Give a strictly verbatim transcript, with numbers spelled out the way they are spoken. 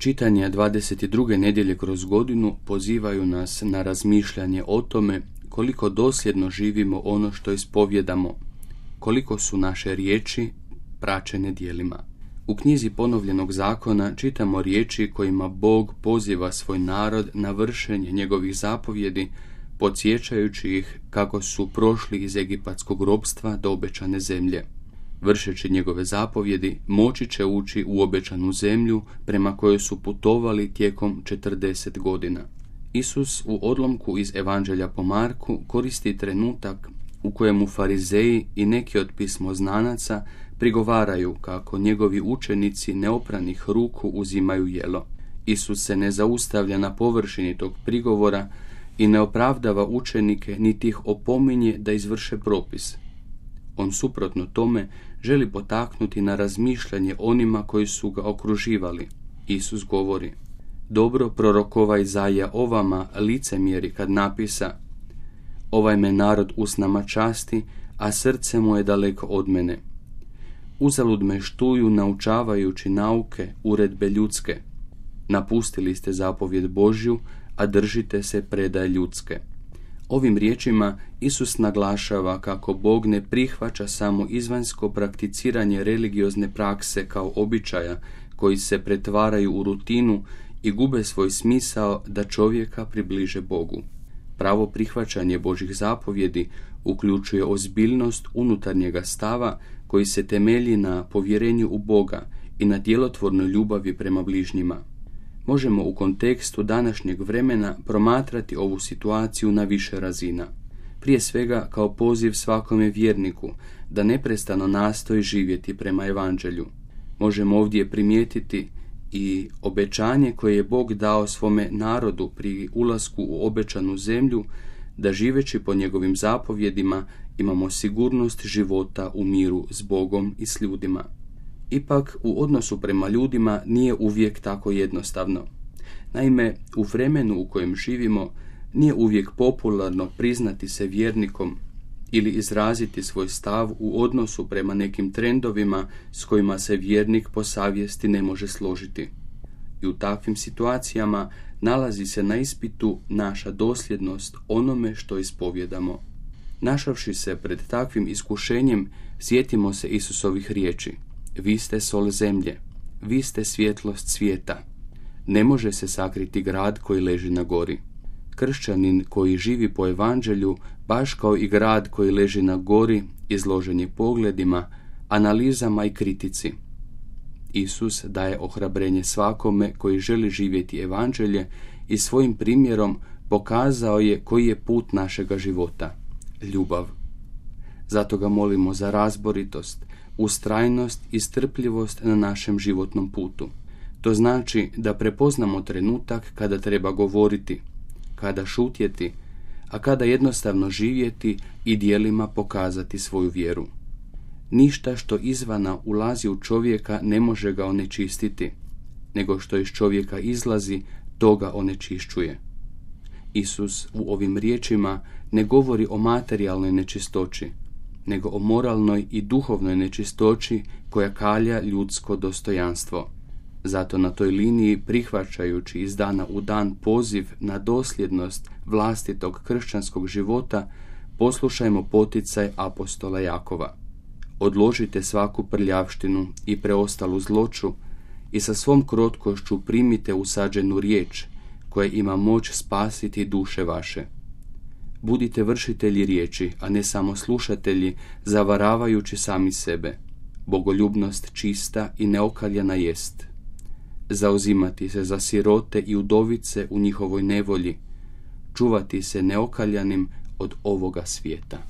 Čitanja dvadeset druge nedjelje kroz godinu pozivaju nas na razmišljanje o tome koliko dosljedno živimo ono što ispovjedamo, koliko su naše riječi praćene djelima. U knjizi Ponovljenog zakona čitamo riječi kojima Bog poziva svoj narod na vršenje njegovih zapovjedi, podsjećajući ih kako su prošli iz egipatskog ropstva do obećane zemlje. Vršeći njegove zapovjedi, moći će ući u obećanu zemlju prema kojoj su putovali tijekom četrdeset godina. Isus u odlomku iz Evanđelja po Marku koristi trenutak u kojemu farizeji i neki od pismoznanaca prigovaraju kako njegovi učenici neopranih ruku uzimaju jelo. Isus se ne zaustavlja na površini tog prigovora i ne opravdava učenike niti ih opominje da izvrše propis. On suprotno tome želi potaknuti na razmišljanje onima koji su ga okruživali. Isus govori: dobro prorokova Izaija o vama licemjeri kad napisa: ovaj me narod usnama časti, a srce mu je daleko od mene. Uzalud me štuju naučavajući nauke, uredbe ljudske. Napustili ste zapovjed Božju, a držite se predaje ljudske. Ovim riječima Isus naglašava kako Bog ne prihvaća samo izvanjsko prakticiranje religiozne prakse kao običaja koji se pretvaraju u rutinu i gube svoj smisao da čovjeka približe Bogu. Pravo prihvaćanje Božjih zapovjedi uključuje ozbiljnost unutarnjega stava koji se temelji na povjerenju u Boga i na djelotvornoj ljubavi prema bližnjima. Možemo u kontekstu današnjeg vremena promatrati ovu situaciju na više razina. Prije svega kao poziv svakome vjerniku da neprestano nastoji živjeti prema Evanđelju. Možemo ovdje primijetiti i obećanje koje je Bog dao svome narodu pri ulasku u obećanu zemlju, da živeći po njegovim zapovjedima imamo sigurnost života u miru s Bogom i s ljudima. Ipak, u odnosu prema ljudima nije uvijek tako jednostavno. Naime, u vremenu u kojem živimo nije uvijek popularno priznati se vjernikom ili izraziti svoj stav u odnosu prema nekim trendovima s kojima se vjernik po savjesti ne može složiti. I u takvim situacijama nalazi se na ispitu naša dosljednost onome što ispovjedamo. Našavši se pred takvim iskušenjem, sjetimo se Isusovih riječi: vi ste sol zemlje, vi ste svjetlost svijeta. Ne može se sakriti grad koji leži na gori. Kršćanin koji živi po Evanđelju, baš kao i grad koji leži na gori, izložen je pogledima, analizama i kritici. Isus daje ohrabrenje svakome koji želi živjeti Evanđelje i svojim primjerom pokazao je koji je put našega života: ljubav. Zato ga molimo za razboritost, ustrajnost i strpljivost na našem životnom putu. To znači da prepoznamo trenutak kada treba govoriti, kada šutjeti, a kada jednostavno živjeti i djelima pokazati svoju vjeru. Ništa što izvana ulazi u čovjeka ne može ga onečistiti, nego što iz čovjeka izlazi, to ga onečišćuje. Isus u ovim riječima ne govori o materijalnoj nečistoći, nego o moralnoj i duhovnoj nečistoći koja kalja ljudsko dostojanstvo. Zato na toj liniji, prihvaćajući iz dana u dan poziv na dosljednost vlastitog kršćanskog života, poslušajmo poticaj apostola Jakova: odložite svaku prljavštinu i preostalu zloću i sa svom krotkošću primite usađenu riječ koja ima moć spasiti duše vaše. Budite vršitelji riječi, a ne samo slušatelji, zavaravajući sami sebe. Bogoljubnost čista i neokaljana jest. Zauzimati se za sirote i udovice u njihovoj nevolji, čuvati se neokaljanim od ovoga svijeta.